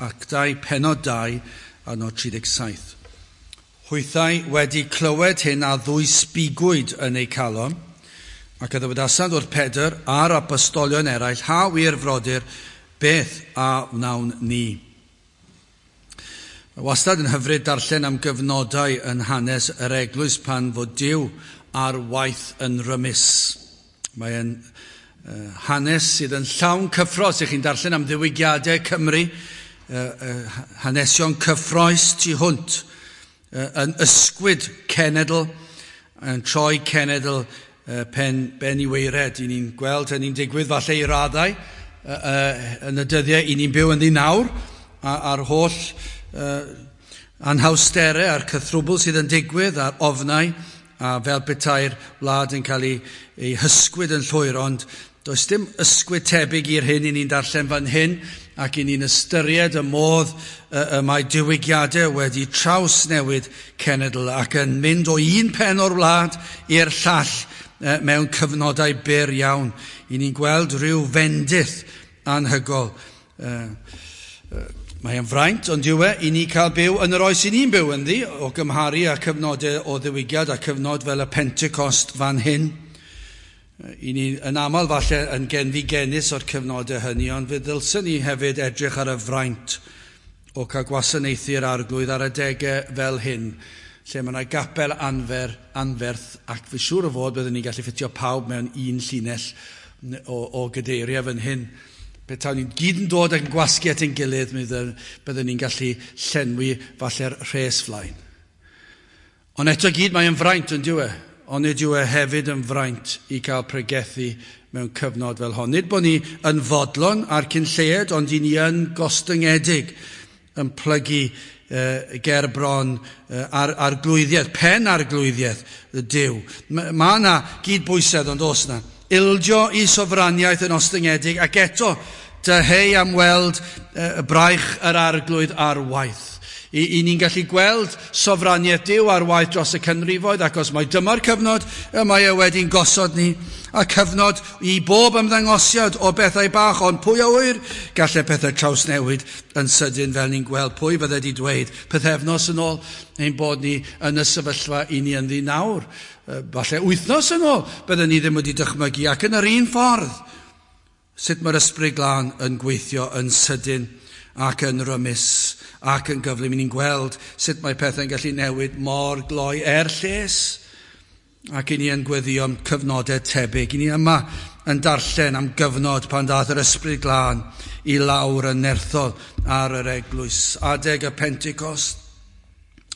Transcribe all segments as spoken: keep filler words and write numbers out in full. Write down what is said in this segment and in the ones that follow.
Actau pennod dau, adnod tri deg saith. Hwythau wedi clywed hyn a ddwysbigwyd yn eu calon, ac a ddywedasant wrth Pedr a'r apostolion eraill, ha wir frodyr, beth a wnawn ni? Mae wastad yn hyfryd darllen am gyfnodau yn hanes yr eglwys pan fod Duw ar waith yn rymus. Mae'n uh, hanes sydd yn llawn cyffro, os ych chi'n darllen am ddiwygiadau Cymru, uh, uh, hanesion cyffrous tu hwnt, uh, yn ysgwyd cenedl, yn troi cenedl uh, pen, ben i weired. I ni'n gweld hynny'n digwydd falle i raddau uh, uh, yn y dyddiau i ni'n byw ynddi nawr, a'r holl uh, anhawsterau a'r cythrwbl sydd yn digwydd a'r ofnau, a fel petai'r wlad yn cael ei, ei hysgwyd yn llwyr, ond does dim ysgwyd tebyg i'r hyn i ni'n darllen fan hyn, ac i ni'n ystyried y modd y, y mae diwygiadau wedi trawsnewid cenedl ac yn mynd o un pen o'r wlad i'r llall mewn cyfnodau byr iawn. I ni'n gweld rhyw fendith anhygol. Mae'n fraint, ond yw e, i ni cael byw yn yr oes i ni'n byw ynddi, o gymharu â cyfnodau o ddiwygiad a cyfnod fel y Pentecost fan hyn. I ni yn aml falle yn genfigennus o'r cyfnodau hynny, ond fe ddylswn ni hefyd edrych ar y fraint o cael gwasanaethu'r arglwydd ar adegau fel hyn, lle mae yna gapel anfer, anferth, ac fi siŵr o fod byddwn ni'n gallu ffitio pawb mewn un llinell o, o gadeiriau fan hyn. Petawn ni'n gyd yn dod ac yn gwasgu at ein gilydd, mi byddwn ni'n gallu llenwi falle'r rhes flaen. Ond eto gyd mae'n fraint yn dyw e, ond nid yw e hefyd yn fraint i gael pregethu mewn cyfnod fel hon. Nid bod ni yn fodlon ar cyn lleied, ond i ni yn gostyngedig yn plygu uh, ger bron uh, ar, arglwyddiaeth, pen arglwyddiaeth y Duw. Mae yna gydbwysedd ond oes yna. Ildio i sofraniaeth yn ostyngedig ac eto dyheu am weld uh, braich yr arglwydd ar waith. I, i ni'n gallu gweld sofraniaeth Duw ar waith dros y canrifoedd, ac os mae dyma'r cyfnod y mae e wedi'n gosod ni, a cyfnod i bob ymddangosiad o bethau bach, ond pwy a ŵyr, gallai pethau trawsnewid yn sydyn fel ni'n gweld. Pwy fydde wedi dweud pythefnos yn ôl ein bod ni yn y sefyllfa i ni ynddi nawr. Falle wythnos yn ôl bydden ni ddim wedi dychmygu, ac yn yr un ffordd sut mae'r Ysbryd Glân yn gweithio yn sydyn ac yn rymus ac yn gyflym. Ni'n gweld sut mae pethau'n gallu newid mor gloi er lles, ac i ni yn gweddio am cyfnodau tebyg. I ni yma yn darllen am gyfnod pan ddaeth yr Ysbryd Glân i lawr yn nerthol ar yr eglwys. Adeg y Pentecost,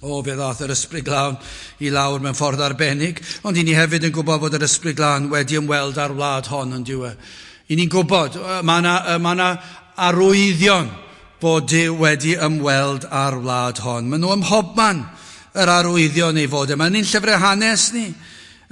o, fe ddaeth yr Ysbryd Glân i lawr mewn ffordd arbennig, ond i ni hefyd yn gwybod bod yr Ysbryd Glân wedi ymweld â'r wlad hon yn diwedd. I ni'n gwybod, mae yna, mae yna arwyddion bod Duw wedi ymweld â'r wlad hon. Maen nhw ym mhobman yr arwyddion ei fod. Mae'n ni'n llyfrau hanes ni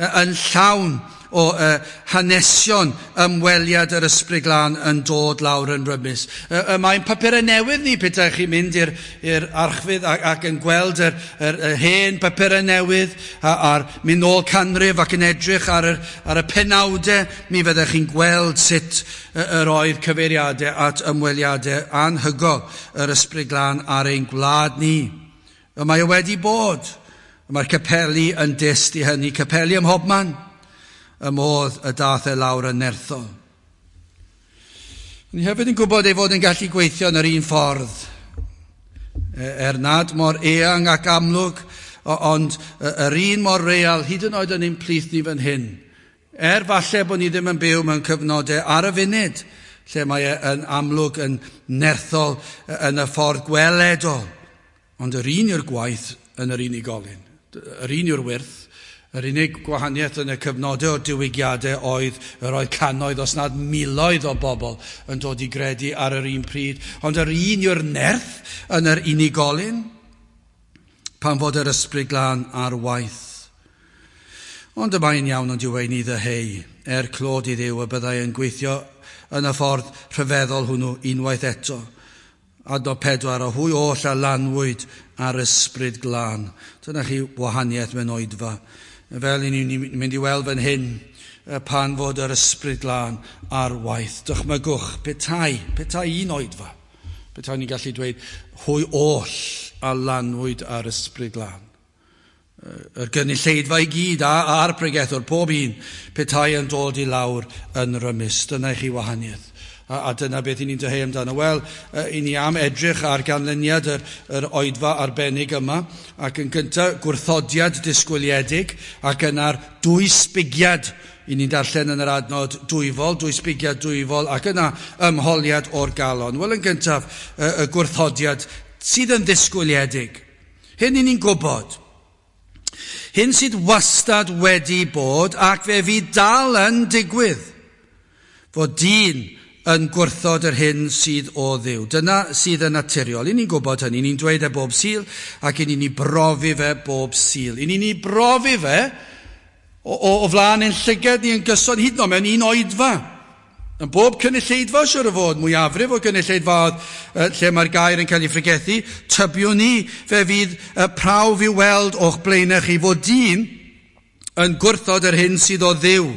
yn llawn o uh, hanesion ymweliad yr Ysbryd Glân yn dod lawr yn rymus. Uh, mae'n papurau newydd ni, petai chi'n mynd i'r, i'r archfydd ac, ac yn gweld yr, yr, yr hen papurau newydd a'r mynd nôl canrif ac yn edrych ar yr, ar y penawdau, mi fyddech chi'n gweld sut yr oedd cyfeiriadau at ymweliadau anhygol yr Ysbryd Glân ar ein gwlad ni. Y mae o wedi bod. Mae'r capeli yn dyst i hynny, capeli ym mhobman, y modd y dath e lawr yn nerthol. Ni hefyd yn gwybod ei fod yn gallu gweithio yn yr un ffordd, er nad mor eang ac amlwg, ond yr un mor real, hyd yn oed yn ein plith ni fan hyn. Er falle bod ni ddim yn byw mewn cyfnodau ar y funud, lle mae e yn amlwg yn nerthol yn y ffordd gweledol, ond yr un yw'r gwaith yn yr unigolyn. Yr un yw'r wyrth. Yr unig gwahaniaeth yn y cyfnodau o'r diwygiadau oedd yr oedd cannoedd, os nad miloedd o bobl yn dod i gredu ar yr un pryd. Ond yr un yw'r nerth yn yr unigolyn pan fod yr Ysbryd Glân ar waith. Ond y mae'n iawn ond yw ei ni ddyheu, er clod i Dduw y byddai yn gweithio yn y ffordd rhyfeddol hwnnw unwaith eto. Adnod pedwar, a hwy oll a lanwyd ar Ysbryd Glân. Dyna chi wahaniaeth mewn oedfa. Fel i ni'n mynd i weld fan hyn, pan fod yr Ysbryd Glân ar waith. Dychmygwch, petai, petai un oedfa Petai ni'n gallu dweud, hwy oll a lanwyd ar Ysbryd Glân. Yr gynulleidfa i gyd a'r pregethwr, pob un, petai yn dod i lawr yn rymus. Dyna i chi wahaniaeth. A, a dyna beth i ni'n dyheu amdano. Wel, i ni am edrych ar ganlyniad yr, yr oedfa arbennig yma, ac yn gyntaf gwrthodiad disgwyliedig, ac yna'r dwysbigiad i ni'n darllen yn yr adnod dwyfol, dwysbigiad dwyfol, ac yna ymholiad o'r galon. Wel, yn gyntaf, y, y gwrthodiad sydd yn ddisgwyliedig. Hyn i ni'n gwybod. Hyn sydd wastad wedi bod ac fe fydd dal yn digwydd, fod dyn yn gwrthod yr hyn sydd o Dduw. Dyna sydd yn naturiol. I ni'n gwybod hynny, ni'n dweud e bob Sul ac i ni'n brofi fe bob Sul. I ni'n brofi fe o, o, o flaen ein llygad ni yn gyson hyd yn oed mewn un oedfa. Yn bob cynulleidfa, siwr o fod, mwyafrif o gynulleidfaoedd lle mae'r gair yn cael ei phregethu, tybiwn ni fe fydd y prawf i'w weld o'ch blaenau chi fod dyn yn gwrthod yr hyn sydd o Dduw.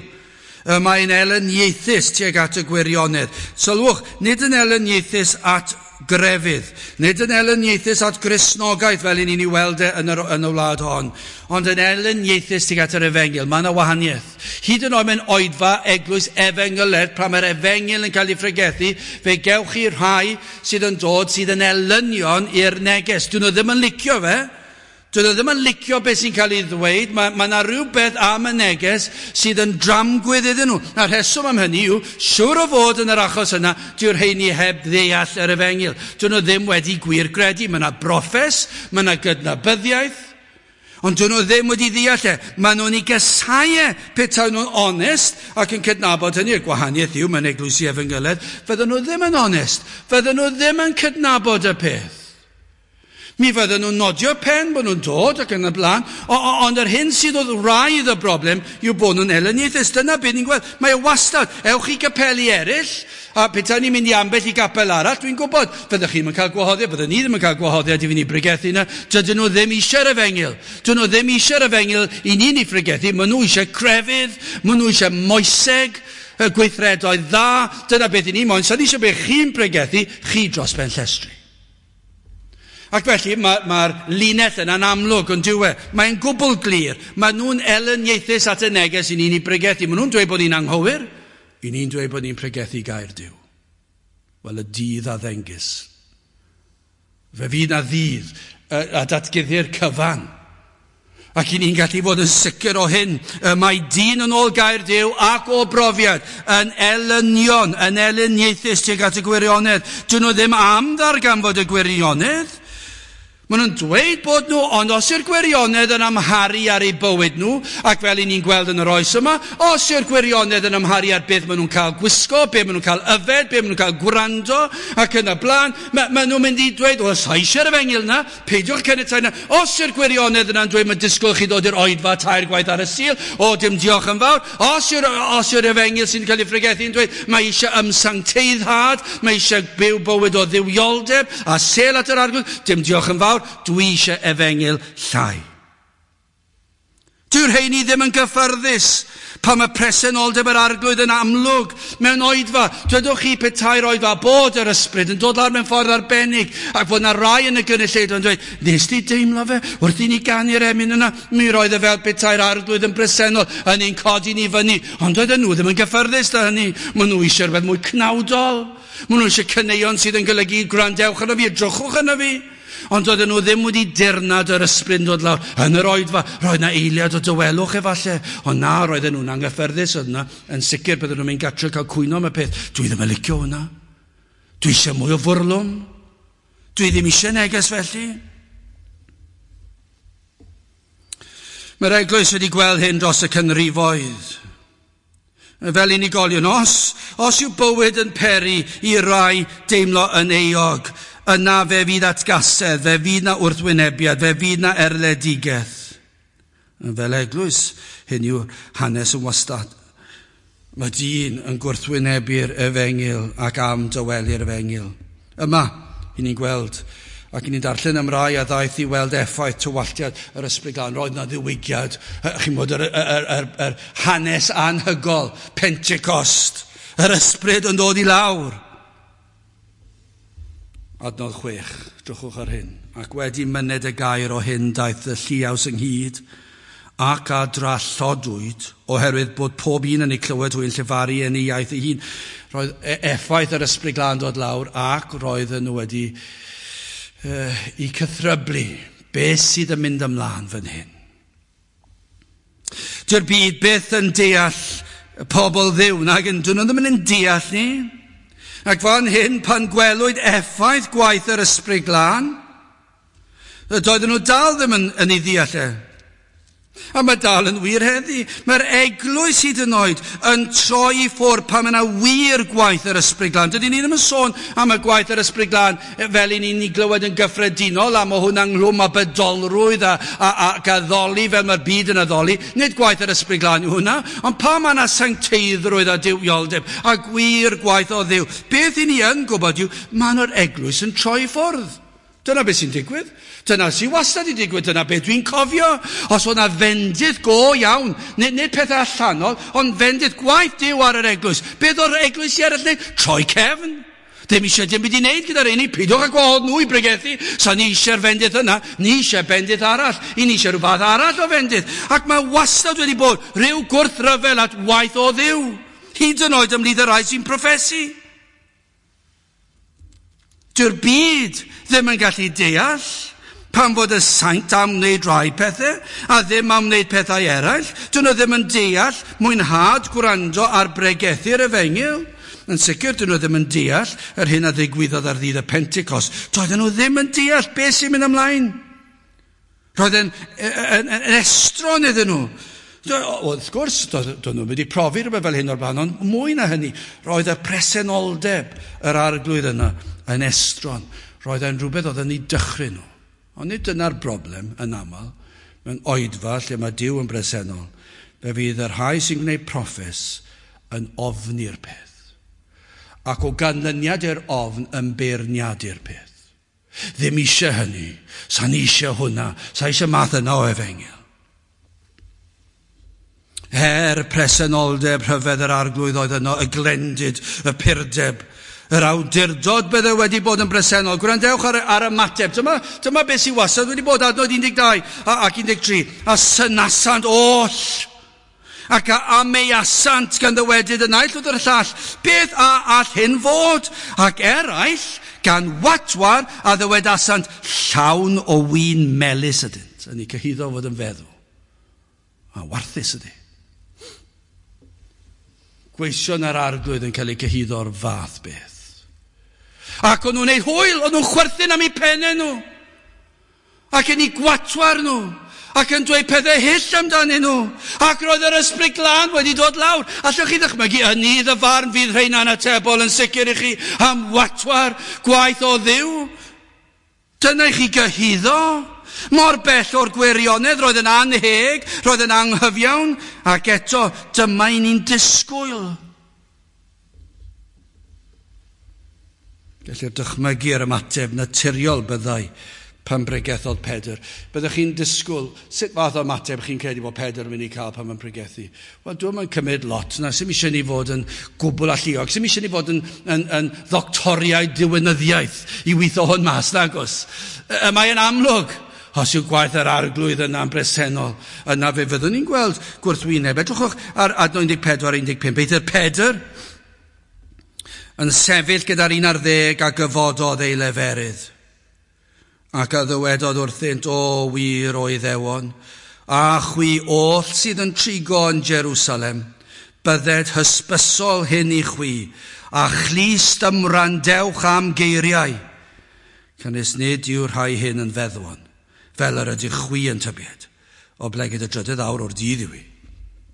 Mae'n elyniaethus tuag at y gwirionedd. Sylwch, nid yn elyniaethus at grefydd, nid yn elyniaethus at Gristnogaeth fel i ni'n ei weld e yn, yr, yn y wlad hon, ond yn elyniaethus tuag at yr efengyl. Mae yna wahaniaeth. Hyd yn oed mewn oedfa eglwys efengyledd, pan mae'r efengyl yn cael ei phregethu, fe gewch chi rhai sydd yn dod sydd yn elynion i'r neges. Dyn nhw ddim yn licio fe. Dyn nhw ddim yn licio beth sy'n cael ei ddweud. Mae, mae yna rhywbeth am y neges sydd yn dramgwydd iddyn nhw. A'r rheswm am hynny yw, siwr o fod yn yr achos yna, dyw'r rheini heb ddeall yr efengyl. Dyn nhw ddim wedi gwir gredu. Mae yna broffes, mae yna gydnabyddiaeth, ond dyn nhw ddim wedi ddeall e. Mae nhw'n ei gysau e petai nhw'n onest ac yn cydnabod hynny. Y gwahaniaeth yw, mae'n eglwysi efengyledd, fydden nhw ddim yn onest. Fydden nhw ddim yn cydnabod y peth. Mi fydden nhw'n nodio pen bod nhw'n dod ac yn y blaen, ond yr hyn sydd oedd wraidd y broblem yw bod nhw'n elyniaethus. Dyna beth ni'n gweld. Mae e wastad. Ewch i gapeli eraill, a petai ni'n mynd i ambell i gapel arall, dwi'n gwybod, fyddech chi'n cael gwahoddiad, byddwn ni ddim yn cael gwahoddiad i fynd i bregethu yna. Dydyn nhw ddim eisiau'r efengyl. Dydyn nhw ddim eisiau'r efengyl i ni'n ei phregethu. Maen nhw eisiau crefydd, maen nhw eisiau moeseg, y gweithredoedd dda. Dyna beth i ni moyn. Sa'n eisiau beth chi'n pregethu, chi dros ben llestri. Ac felly mae'r mae linell yna'n amlwg yn dyw e. Mae'n gwbl glir. Mae nhw'n elyniaethus at y neges i ni'n ei pregethu. Mae nhw'n dweud bod ni'n anghywir. I ni'n dweud bod ni'n pregethu gair Duw. Wel, y dydd a ddengys. Fe fydd na ddydd a datguddi'r cyfan. Ac i ni'n gallu fod yn sicr o hyn. Mae dyn yn ôl gair Duw ac o brofiad yn elynion, yn elyniaethus tuag at y gwirionedd. Dyn nhw ddim am ddarganfod y gwirionedd. Maen nhw'n dweud bod nhw, ond os yw'r gwirionedd yn amharu ar eu bywyd nhw, ac fel i ni'n gweld yn yr oes yma, os yw'r gwirionedd yn amharu ar beth maen nhw'n cael gwisgo, beth maen nhw'n cael yfed, beth maen nhw'n cael gwrando, ac yn y blaen, ma, maen nhw'n mynd i dweud, o, sa eisiau'r efengyl yna, peidiwch caniatáu yna. Os yw'r gwirionedd yna'n dweud, mae'n disgwyl chi ddod i'r oedfa tair gwaith ar y Sul, o, dim diolch yn fawr. Os yw'r, os yw'r efengyl sy'n cael ei phregethu yn dweud, mae eisiau ymsancteiddhad, mae eisiau byw bywyd o dduwioldeb, a sel at yr Arglwydd, dim diolch yn fawr. Dwi eisiau efengyl llai. Dyw'r rheini ddim yn gyffyrddus pan mae presenoldeb yr Arglwydd yn amlwg mewn oedfa. Dwedwch chi petai'r oedfa bod yr ysbryd yn dod lawr mewn ffordd arbennig ac fod na rai yn y gynulleidfa yn dweud, nes di deimlo fe wrth i ni ganu'r emyn yna? Mi roedd e fel petai'r Arglwydd yn bresennol yn ein codi ni fyny. Ond doedden nhw ddim yn gyffyrddus da hynny. Maen nhw eisiau rhywbeth mwy cnawdol. Maen nhw eisiau caneuon sydd yn golygu gwrandewch arno fi, edrychwch arno fi. Ond oedden nhw ddim wedi dirnad yr ysbryd yn dod lawr yn yr oedfa. Roedd na eiliad o dawelwch efallai. Ond na, roedden nhw'n anghyffyrddus. Oedd yna yn sicr bydden nhw'n mynd gartre cael cwyno am y peth. Dwi ddim yn licio hwnna. Dwi eisiau mwy o fwrlwm. Dwi ddim eisiau neges felly. Mae'r eglwys wedi gweld hyn dros y canrifoedd. Fel unigolion, os, os yw bywyd yn peri i rai deimlo yn euog, yna fe fydd atgasedd, fe fydd na wrthwynebiad, fe fydd na erledigaeth. Fel eglwys, hyn yw hanes yn wastad. Mae dyn yn gwrthwynebu'r efengyl ac am dywelu'r efengyl. Yma, i ni'n gweld, ac i ni'n darllen am rai a ddaeth i weld effaith tywalltiad yr Ysbryd Glân. Roedd na ddiwygiad, chi'n bod yr, yr, yr, yr hanes anhygol, Pentecost, yr ysbryd yn dod i lawr. Adnod chwech, drychwch ar hyn. Ac wedi myned y gair o hyn daeth y lliaws ynghyd ac a drallodwyd oherwydd bod pob un yn ei clywed hwy'n llefaru yn ei iaith ei hun. Roedd effaith yr Ysbryd Glân dod lawr ac roedden nhw wedi uh, i cythryblu. Beth sydd yn mynd ymlaen fan hyn? Dyw'r byd byth yn deall pobl Dduw, nag yn dyn nhw ddim yn deall ni. Ac fan hyn, pan gwelwyd effaith gwaith yr Ysbryd Glân, doedden nhw dal ddim yn, yn ei ddeall e. A mae dal yn wir heddi. Mae'r eglwys hyd yn oed yn troi i ffwrdd pan mae yna wir gwaith yr Ysbryd Glân. Dydyn ni ddim yn sôn am y gwaith yr Ysbryd Glân fel i ni'n ei glywed yn gyffredinol, a mae hwnna ynghlwm â bydolrwydd a, a, ac addoli fel mae'r byd yn addoli. Nid gwaith yr Ysbryd Glân yw hwnna, ond pan mae yna sancteiddrwydd a duwioldeb a gwir gwaith o Dduw, beth i ni yn gwybod yw, mae yna'r eglwys yn troi i ffwrdd. Dyna beth sy'n digwydd. Dyna sy'n wastad i digwydd. Dyna beth dwi'n cofio. Os oedd yna fendith go iawn, nid, nid pethau allanol, ond fendith gwaith Duw ar yr eglwys. Beth o'r eglwys i eraill wneud? Troi cefn. Ddim eisiau dim byd i wneud gyda'r un i. Peidiwch â gwahodd nhw i bregethu. Sa ni eisiau'r fendith yna. Ni eisiau bendith arall. I ni eisiau rhyw fath arall o fendith. Ac mae wastad wedi bod rhyw gwrthryfel at waith o Dduw. Hyd yn oed ymhlith y rhai sy'n proffesu. Dyw'r byd ddim yn gallu deall pan fod y saint am wneud rhai pethau a ddim am wneud pethau eraill. Dyn nhw ddim yn deall mwynhad gwrando ar bregethu'r efengyl. Yn sicr, dyn nhw ddim yn deall yr hyn a ddigwyddodd ar ddydd y Pentecost. Doedden nhw ddim yn deall beth sy'n mynd ymlaen. Roedd yn, yn, yn, yn estron iddyn nhw. Wrth gwrs, doedden nhw wedi profi rhywbeth fel hyn o'r blaen, ond mwy na hynny, roedd y presenoldeb yr arglwydd yna yn estron. Roedd e'n rhywbeth oedd yn ei dychryn nhw. Ond nid dyna'r broblem yn aml, mewn oedfa lle mae Duw yn bresennol, fe fydd y rhai sy'n gwneud proffes yn ofni'r peth. Ac o ganlyniad i'r ofn yn beirniadu'r peth. Ddim eisiau hynny, sa'n eisiau hwnna, sa eisiau math yna o efengyl. Er presenoldeb rhyfedd yr arglwydd oedd yno, y glendid, y purdeb, yr awdurdod bydde wedi bod yn bresennol. Gwrandewch ar, ar ymateb. Dyma, dyma beth sy'n wastad wedi bod adnod un deg dau ac un deg tri. A synasant oll, ac a ameuasant gan ddywedyd y naill wrth y llall, beth a all hyn fod? Ac eraill gan watwar a ddywedasant, llawn o win melys ydynt. Yn ei cyhuddo fod yn feddw. A warthus ydy. Gweision yr arglwydd yn cael eu cyhuddo o'r fath beth. Ac o'n nhw'n neud hwyl, o'n nhw'n chwerthin am eu pennau nhw. Ac yn eu gwatwar nhw. Ac yn dweud pethau hyll amdanyn nhw. Ac roedd yr Ysbryd Glân wedi dod lawr. Allwch chi ddychmygu, yn nydd y farn fydd rheina'n atebol yn sicr i chi am watwar gwaith o Dduw. Dyna i chi gyhuddo. Mor bell o'r gwirionedd, roedd yn anheg, roedd yn anghyfiawn, ac eto dyma i ni'n disgwyl. Gellir dychmygu yr ymateb naturiol byddai pan bregethodd Pedr. Byddech chi'n disgwyl, sut fath o ymateb chi'n credu bod Pedr yn mynd i cael pan mae'n pregethu? Wel, dwi'm yn cymryd lot na, sy'm eisiau ni fod yn gwbl alluog, sy'm eisiau ni fod yn, yn, yn ddoctoriaid diwinyddiaeth i weithio hwn mas, nagos. Y mae'n amlwg, os yw gwaith yr arglwydd yna'n bresennol, yna fe fyddwn ni'n gweld gwrthwyneb. Edrychwch ar adnod un deg pedwar un deg pump. Eithr Pedr yn sefyll gyda'r un ar ddeg a gyfododd ei leferydd. Ac a ddywedodd wrthynt, o wir o Iddewon, a chwi oll sydd yn trigo yn Jerusalem, bydded hysbysol hyn i chwi, a chlust ymwrandewch am geiriau. Canys nid yw'r rhai hyn yn feddwon, fel yr ydych chwi yn tybied, oblegid y drydydd awr o'r dydd yw hi.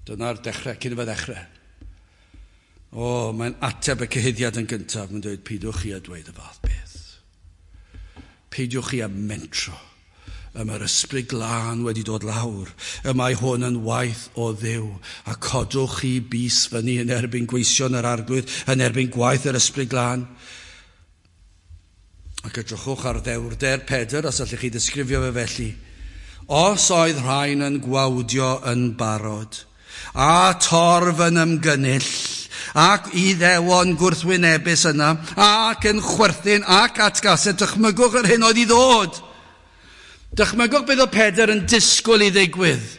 Dyna'r dechrau, cyn iddo ddechrau. O, mae'n ateb y cyhuddiad yn gyntaf, mae'n dweud, peidiwch chi a dweud y fath beth. Peidiwch chi â mentro. Y mae'r Ysbryd Glân wedi dod lawr. Y mae hwn yn waith o Dduw. A codwch chi bys fyny yn erbyn gweision yr arglwydd, yn erbyn gwaith yr Ysbryd Glân. Ac edrychwch ar ddewrder Pedr, os allwch chi ddisgrifio fe felly. Os oedd rhain yn gwawdio yn barod, a torf yn ymgynnull, Ac Iddewon gwrthwynebus yna, ac yn chwerthin ac atgasau, dychmygwch yr hyn oedd i ddod. Dychmygwch beth oedd Pedr yn disgwyl i ddigwydd.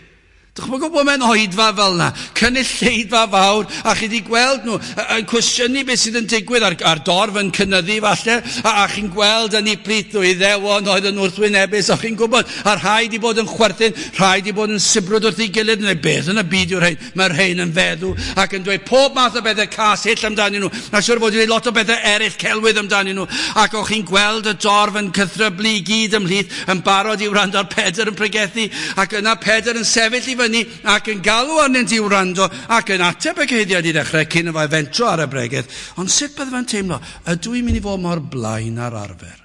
Dychmygwch bod mewn oedfa fel yna, cynulleidfa fawr, a chi wedi gweld nhw yn cwestiynu beth sydd yn digwydd, a'r, a'r dorf yn cynyddu falle, a, a chi'n gweld yn eu plith nhw Iddewon oedd yn wrthwynebus, a chi'n gwybod, a rhai wedi bod yn chwerthin, rhai wedi bod yn sibrwd wrth ei gilydd, neu beth yn y byd yw'r rhain, mae'r rhain yn feddw, ac yn dweud pob math o bethau cas hyll amdanyn nhw, a siwr fod wedi lot o bethau eraill celwydd amdanyn nhw, ac o'ch chi'n gweld y dorf yn cythryblu i gyd ymhlith, yn barod i wrando ar Pedr yn pregethu, ac yna Pedr yn sefyll i fyny ac yn galw arnynt i wrando ac yn ateb y cyhuddiad i ddechrau cyn y fai fentro ar y bregeth. Ond sut bydde fe'n teimlo? Ydw i'n mynd i fod mor blaen ar arfer?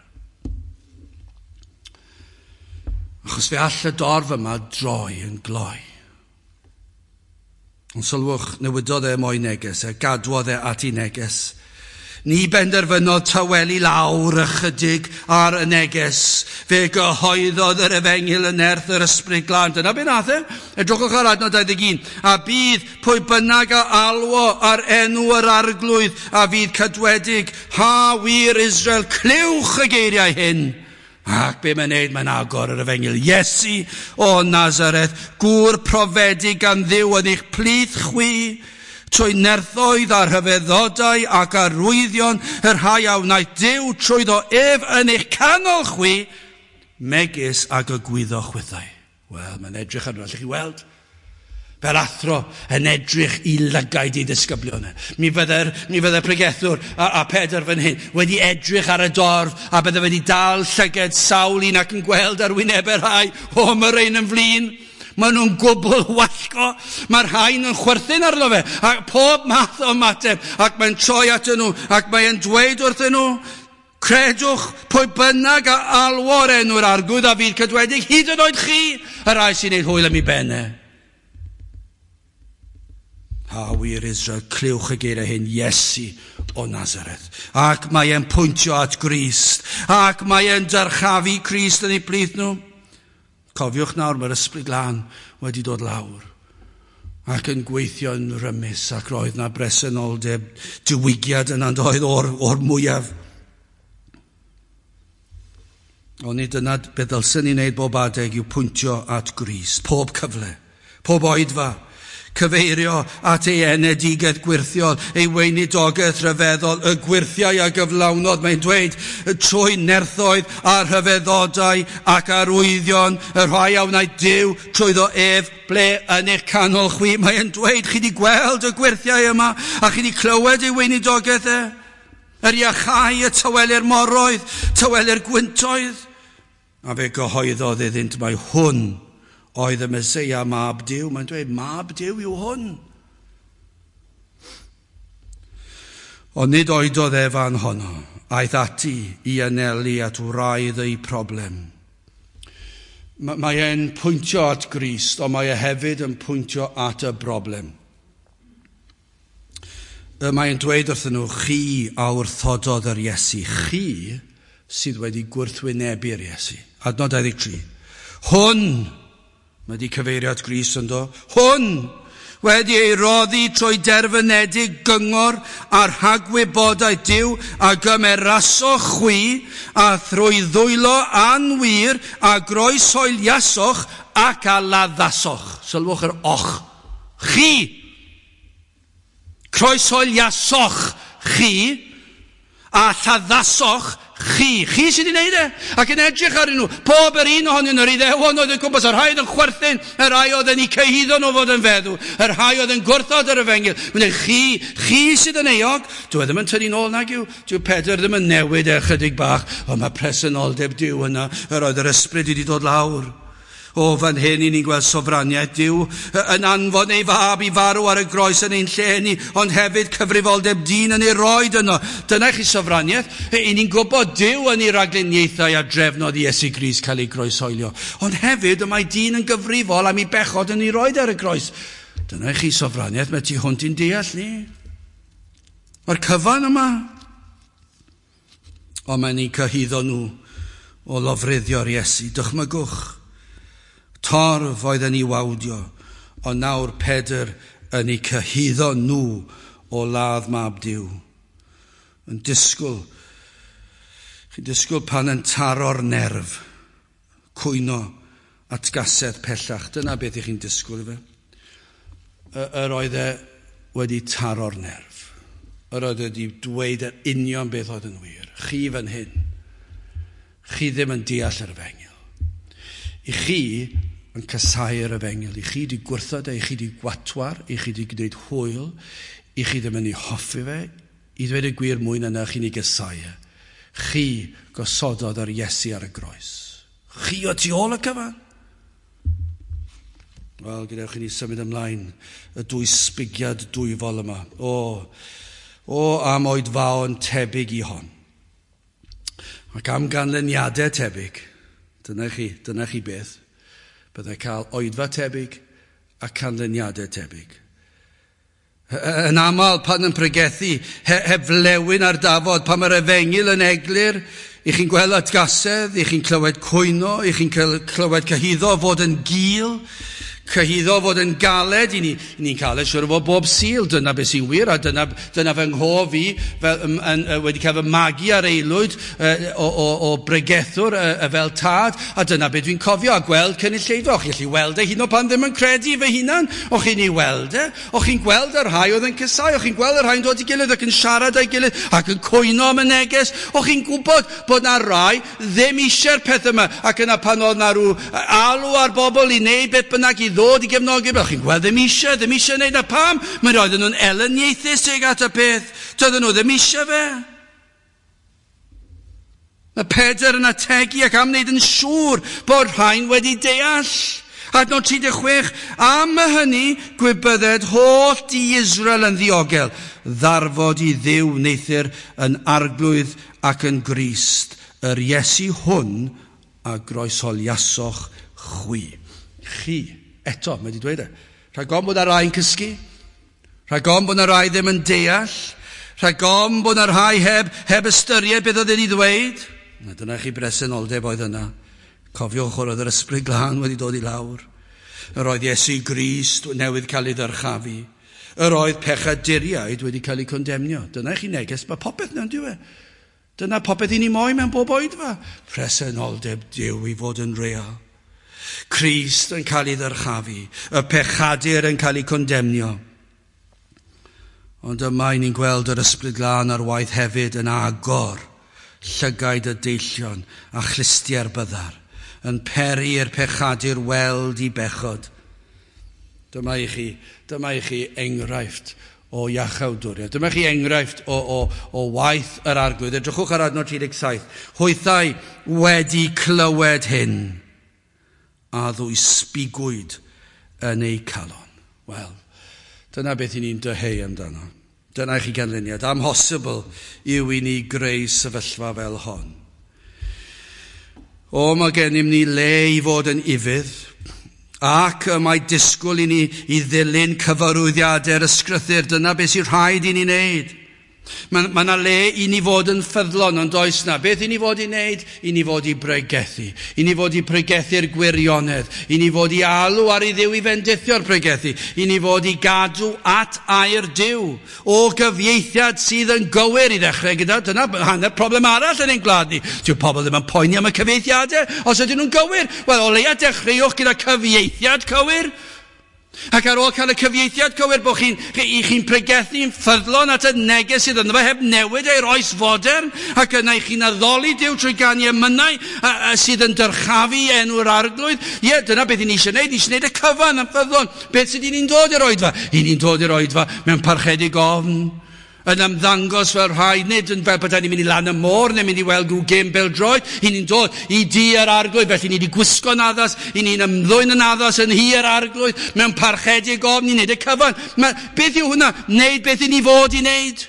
Achos fe all y dorf yma droi yn gloi. Ond sylwch, newidodd e mo'i neges, e gadwodd e at ei neges. Ni benderfynodd tawelu lawr ychydig ar y neges. Fe gyhoeddodd yr efengyl yn nerth yr ysbryd glân. Dyna be nath e. Edrychwch ar adnod dau ddeg un. A bydd pwy bynnag a alwo ar enw yr arglwydd a fydd cadwedig. Ha wir Israel, clywch y geiriau hyn. Ac be mae'n neud, mae'n agor yr efengyl. Iesu o Nazareth, gŵr profedig gan Dduw yn eich plith chwi, trwy nerthoedd a rhyfeddodau ac arwyddion y rhai a wnaeth Duw trwyddo ef yn eich canol chwi, megis ag y gwyddoch chwithau. Wel, mae'n edrych arno, allwch chi weld? Fel athro yn edrych i lygaid ei ddisgyblion. Mi fydde'r mi fydde pregethwr a, a Pedr fan hyn wedi edrych ar y dorf a bydde wedi dal llyged sawl un ac yn gweld ar wynebau rhai, o, mae rhain yn flin. Maen nhw'n gwbl wallgo. Mae'r rhain yn chwerthin arno fe. A pob math o ymateb. Ac mae'n troi atyn nhw. Ac mae'n dweud wrthyn nhw, credwch pwy bynnag a alwo'r enw'r arglwydd a fydd cadwedig, hyd yn oed chi, y rhai sy'n neud hwyl am ei benne. Ha wir Israel, clywch y geiriau hyn, Iesu o Nazareth. Ac mae e'n pwyntio at Grist. Ac mae e'n dyrchafu Crist yn ei plith nhw. Cofiwch nawr, mae'r ysbryd glân wedi dod lawr ac yn gweithio yn rymus, ac roedd na bresenoldeb diwygiad yna doedd o'r, o'r mwyaf. Ond nid dyna beth ddylsen ni wneud bob adeg yw pwyntio at Grist, pob cyfle, pob oedfa, cyfeirio at ei enedigaeth gwirthiol, ei weinidogaeth rhyfeddol, y gwirthiau a gyflawnodd, mae'n dweud, trwy nerthoedd a rhyfeddodau ac arwyddion, y rhai a wnaeth Duw trwyddo ef ble yn eich canol chwi. Mae'n dweud, chi wedi gweld y gwirthiau yma, a chi wedi clywed ei weinidogaeth e, yr iachau, y tawelu'r moroedd, tawelu'r gwyntoedd. A fe gyhoeddodd iddynt mai hwn oedd y Meseia mab Duw. Mae'n dweud, mab Duw yw hwn. Ond nid oedodd e fan honno, aeth ati i anelu at wraidd ei problem. Mae e'n pwyntio at Grist, ond mae e hefyd yn pwyntio at y broblem. Mae'n dweud wrthyn nhw, chi a wrthododd yr Iesu, chi sydd wedi gwrthwynebu'r Iesu. Adnod dau ddeg tri. Hwn, mae wedi cyfeirio at Grist ynddo, hwn wedi ei roddi trwy derfynedig gyngor a rhagwybodaeth Duw a gymerasoch chwi a thrwy ddwylo anwir a groeshoeliasoch ac a laddasoch. Sylwch yr och. Chi. Croeshoeliasoch chi a lladdasoch chi. Chi sydd wedi gwneud e. Ac yn edrych arnyn nhw. Pob yr un ohonyn nhw'r Iddewon oedd yn gwmpas, y rhai oedd yn chwerthin, y rhai oedd yn eu cyhuddo nhw fod yn feddw, y rhai oedd yn gwrthod yr efengyl. Mae'n dweud, chi, chi sydd yn euog. Dyw e ddim yn tynnu nôl nag yw. Dyw Pedr ddim yn newid e chydig bach. Ond mae presenoldeb Duw yna. Yr oedd yr ysbryd wedi dod lawr. O, fan hyn i ni'n gweld sofraniaeth Duw yn anfon ei fab i farw ar y groes yn ein lle ni, ond hefyd cyfrifoldeb dyn yn ei roed yno. Dyna chi sofraniaeth. I ni'n gwybod Duw yn ei ragluniaethau a drefnodd Iesu Grist cael ei groeshoelio. Ond hefyd y mae dyn yn gyfrifol am ei bechod yn ei roed ar y groes. Dyna chi sofraniaeth, mae tu hwnt i'n deall ni. Mae'r cyfan yma. Ond mae'n ni'n cyhuddo nhw o lofruddio'r Iesu. Dychmygwch. Torf oedd yn ei wawdio, ond nawr Pedr yn ei cyhuddo nhw o ladd mab Duw. Yn disgwyl, chi'n disgwyl pan yn taro'r nerf, cwyno atgasedd pellach. Dyna beth i chi'n disgwyl fe. Yr oedd e wedi taro'r nerf. Yr oedd wedi dweud yr union beth oedd yn wir. Chi fan hyn, chi ddim yn deall yr efengyl. I chi yn casáu'r efengyl. I chi di gwrthod e, i chi di gwatwar, i chi di gwneud hwyl, i chi ddim yn ei hoffi fe, i ddweud y gwir mwy na na chi'n ei gasáu e. Chi gosododd yr Iesu ar y groes. Chi o tu ôl y cyfan. Wel, gadewch i ni symud ymlaen y dwy sbigiad dwyfol yma. O, o am oedfaon tebyg i hon. Ac am ganlyniadau tebyg. Dyna chi, dyna chi beth. Byddai cael oedfa tebyg a canlyniadau tebyg. Yn aml pan yn pregethu, heb flewyn ar dafod, pan mae'r efengyl yn eglur, i chi'n gweld atgasedd, i chi'n clywed cwyno, i chi'n clywed cyhuddo fod yn gul, cyhuddo fod yn galed, i ni'n ni cael e siwr o fod bob Sul, dyna beth sy'n wir, a dyna, dyna fy nghof i, fel, yn, yn, wedi cael fy magu ar aelwyd o, o, o bregethwr fel tad, a dyna beth dwi'n cofio, a gweld cynulleidfa. O'ch chi'n gallu weld e hyd yn oed pan ddim yn credu fy hunan, o'ch chi'n ei weld e, o'ch chi'n gweld y rhai oedd yn casáu, o'ch chi'n gweld y rhai'n dod i gilydd ac yn siarad â'i gilydd, ac yn cwyno am y neges, o'ch chi'n gwybod bod na rai ddim eisiau'r peth yma, ac yna pan oedd na rhyw alw ar bobl i wneud beth bynnag i ddod i gefnogi, o'ch chi'n gweld ddim eisiau, ddim eisiau wneud, a pam? Mae'n roedden nhw'n elyniaethus tuag at y peth, doedden nhw ddim eisiau fe. Mae Pedr yn ategu ac am wneud yn siŵr bod rhain wedi deall. Adnod tri deg chwech, am hynny gwybydded holl di Israel yn ddiogel, ddarfod i Dduw wneuthur yn arglwydd ac yn Grist, yr Iesu hwn a groesholiasoch chwi. Chi. Eto, mae wedi dweud e. Rhag ofn bod 'na rai yn cysgu, rhag ofn bod 'na rai ddim yn deall, rhag ofn bod 'na rhai heb, heb ystyried beth oedd wedi ddweud. Na, dyna chi bresenoldeb oedd yna. Cofiwch oedd yr Ysbryd Glân wedi dod i lawr. Yr oedd Iesu Grist newydd cael ei ddyrchafu. Yr oedd pechaduriaid wedi cael eu condemnio. Dyna chi neges, mae popeth mewn diwe. Dyna popeth i ni moyn mewn bob oedfa. Presenoldeb Duw i fod yn real. Crist yn cael ei ddyrchafu, y pechadur yn cael ei condemnio. Ond yma ni'n gweld yr Ysbryd Glân ar waith hefyd yn agor llygaid y deillion a chlustiau'r byddar, yn peri i'r pechadur weld i bechod. Dyma i chi, dyma i chi enghraifft o iachawdwriaeth. Dyma chi enghraifft o, o, o waith yr Arglwydd. Edrychwch ar adnod tri deg saith. Hwythau wedi clywed hyn, a ddwysbigwyd yn eu calon. Wel, dyna beth i ni'n dyheu amdano. Dyna i chi ganlyniad. Amhosibl yw i ni greu sefyllfa fel hon. O, mae gennym ni le i fod yn ufudd, ac y mae disgwyl i ni i ddilyn cyfarwyddiadau'r ysgrythur. Dyna beth sy'n rhaid i ni wneud. Mae yna le i ni fod yn ffyddlon, ond oes na. Beth i ni fod i wneud? I ni fod i bregethu. I ni fod i pregethu'r gwirionedd. I ni fod i alw ar i Dduw i fendithio'r pregethu. I ni fod i gadw at air Duw. O gyfieithiad sydd yn gywir i ddechrau gyda. Dyna hanner problem arall yn ein gwlad ni. Dyw pobl ddim yn poeni am y cyfieithiadau os ydyn nhw'n gywir. Wel, o leia dechreuwch gyda cyfieithiad cywir. Ac ar ôl cael y cyfieithiad cywir, bod chi'n chi, chi'n pregethu'n ffyddlon at y neges sydd ynddo fe, heb newid ei'r oes fodern, ac yna i chi'n addoli Duw trwy ganu emynau a, a sydd yn dyrchafu enw'r Arglwydd. Ie, dyna beth i ni eisiau gwneud, ni eisiau gwneud y cyfan yn ffyddlon. Beth sydd i ni'n dod i'r oedfa? I ni'n dod i'r oedfa mewn parchedig ofn, yn ymddangos fel rhai, nid yn fel bod ni'n mynd i lan y môr neu mynd i weld rhyw gêm bêl-droed. I ni'n dod i dŷ yr Arglwydd, felly ni wedi gwisgo'n addas, i ni'n ymddwyn yn addas yn nhŷ yr Arglwydd, mewn parchedig ofn, ni'n neud y cyfan. Ma, beth yw hwnna? Neud beth i ni fod i wneud.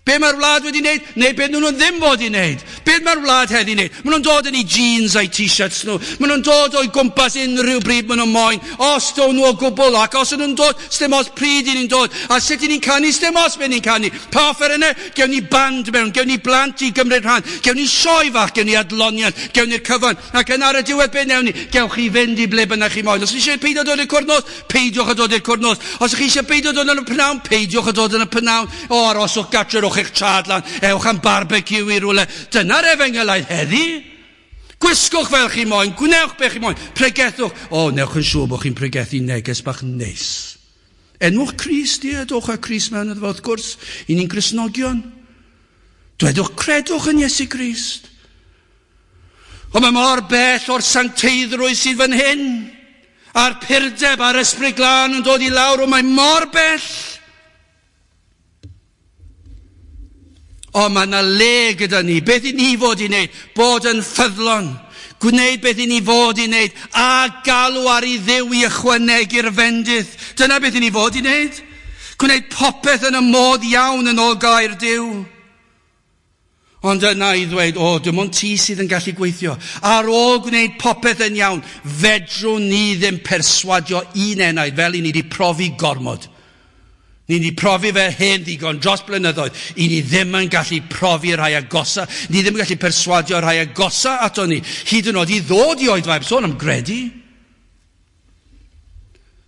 Be mae'r wlad wedi wneud? Neu be nhw'n ddim fod i wneud? Be mae'r wlad heddi wneud? Maen nhw'n dod yn eu jeans a'i t-shirts nhw. Maen nhw'n dod o'i gwmpas unrhyw bryd maen nhw'n moyn. Os do'n nhw o gwbl, ac os nhw'n dod, sdim os pryd i ni'n dod. A sut i ni'n canu, sdim os be ni'n canu. Pa offerynnau? Gewn ni band mewn, gewn ni blant i gymryd rhan, gewn ni sioe fach, gewn ni adloniant, gewn ni'r cyfan. Ac yn ar y diwedd be newn ni? Gewch chi fynd i ble bynnag chi moyn. Os chi eisiau peidio dod i'r cwrdd nos, peidiwch a dod i'r cwrdd nos. Os chi eisiau peidio dod yn y pnawn, peidiwch a dod yn y pnawn. O, aroswch gatre, rhowch eich traed lan, ewch am barbecue i rywle. Dyna'r efengylaidd heddi. Gwisgwch fel chi moyn, gwnewch be chi moyn, pregethwch. O, newch yn siŵr bod chi'n pregethu neges bach neis. Enwch Crist, ie, dowch â Crist mewn iddo fo, wrth gwrs, i ni'n Gristnogion. Dwedwch, credwch yn Iesu Grist. Ond mae mor bell o'r sancteiddrwydd sydd fan hyn, a'r purdeb a'r Ysbryd Glân yn dod i lawr, o mae mor bell. O, mae yna le gyda ni. Beth i ni fod i wneud? Bod yn ffyddlon. Gwneud beth i ni fod i wneud. A galw ar i Dduw i ychwanegu'r fendith. Dyna beth i ni fod i wneud. Gwneud popeth yn y modd iawn yn ôl gair Duw. Ond yna i ddweud, o, dim ond ti sydd yn gallu gweithio. Ar ôl gwneud popeth yn iawn, fedrwn ni ddim perswadio un enaid fel i ni wedi profi gormod. Ni wedi profi fe hen ddigon dros blynyddoedd. I ni ddim yn gallu profi rhai agosa. Ni ddim yn gallu perswadio rhai agosa ato ni. Hyd yn oed i ddod i oedfa, heb sôn am gredu.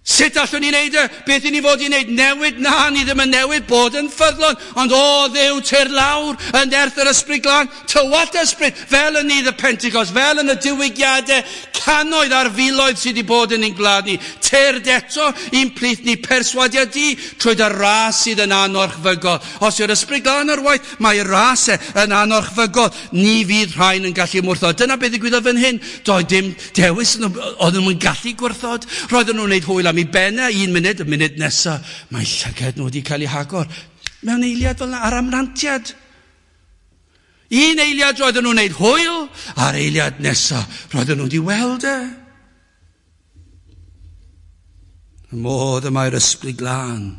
Sut allwn ni wneud e? Beth i ni fod i wneud? Newid? Na, ni ddim yn newid, bod yn ffyddlon. Ond o Dduw, tyr lawr, yn nerth yr Ysbryd Glân, tywallt ysbryd, fel yn nydd y Pentecost, fel yn y diwygiadau, cannoedd ar filoedd sydd wedi bod yn ein gwlad ni. Tyrd eto i'n plith ni, perswadiad di, trwy dy ras sydd yn anorchfygol. Os yw'r Ysbryd Glân ar waith, mae ras e yn anorchfygol. Ni fydd rhain yn gallu mwrthod. Dyna beth ddigwyddodd fan hyn. Doedd dim dewis, oedden nhw'n gallu gwrthod. Roedden nhw'n gwneud hwyl am i bennau un munud, y munud nesaf, mae llygad nhw wedi cael eu hagor. Mewn eiliad fel yna, ar amrantiad. Un eiliad roedden nhw'n gwneud hwyl, a'r eiliad nesaf roedden nhw wedi weld e. Y modd y mae'r Ysbryd Glân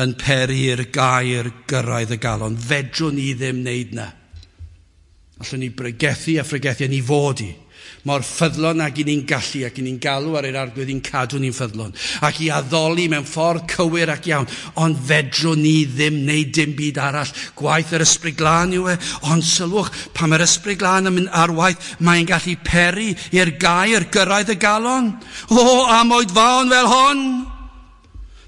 yn peri'r gair gyrraedd y galon. Fedrwn ni ddim wneud na. Allwn ni bregethu a phregethu a ni fod i. Mor ffyddlon ag i ni'n gallu ac i ni'n galw ar yr Arglwydd i'n cadw ni'n ffyddlon ac i addoli mewn ffordd cywir ac iawn, ond fedrwn ni ddim wneud dim byd arall. Gwaith yr Ysbryd Glân yw e, ond sylwch, pan mae'r Ysbryd Glân yn mynd ar waith, mae'n gallu peri i'r gair gyrraedd y galon. O, am oedfaon fel hon!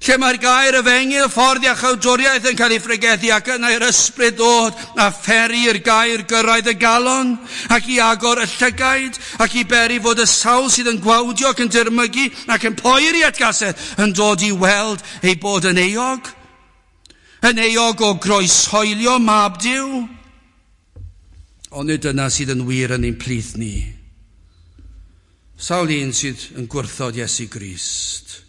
Lle mae'r gair efengyl, ffordd iachawdwriaeth yn cael ei phregethu ac yna i'r ysbryd ddod a pheri i'r gair gyrraedd y galon ac i agor y llygaid ac i beri fod y sawl sydd yn gwawdio ac yn dirmygu ac yn poeri atgasedd yn dod i weld ei bod yn euog. Yn euog o groeshoelio mab Duw. Ond nid dyna sydd yn wir yn ein plith ni. Sawl un sydd yn gwrthod Iesu Grist.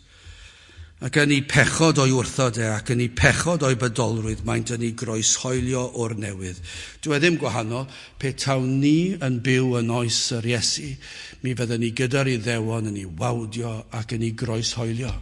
Ac yn ei pechod o'i wrthod e, ac yn ei pechod o'i bydolrwydd, maent yn ei groeshoelio o'r newydd. Dyw e ddim gwahanol, pe tawn ni yn byw yn oes yr Iesu, mi fydden ni gyda'r Iddewon yn ei wawdio ac yn ei groeshoelio.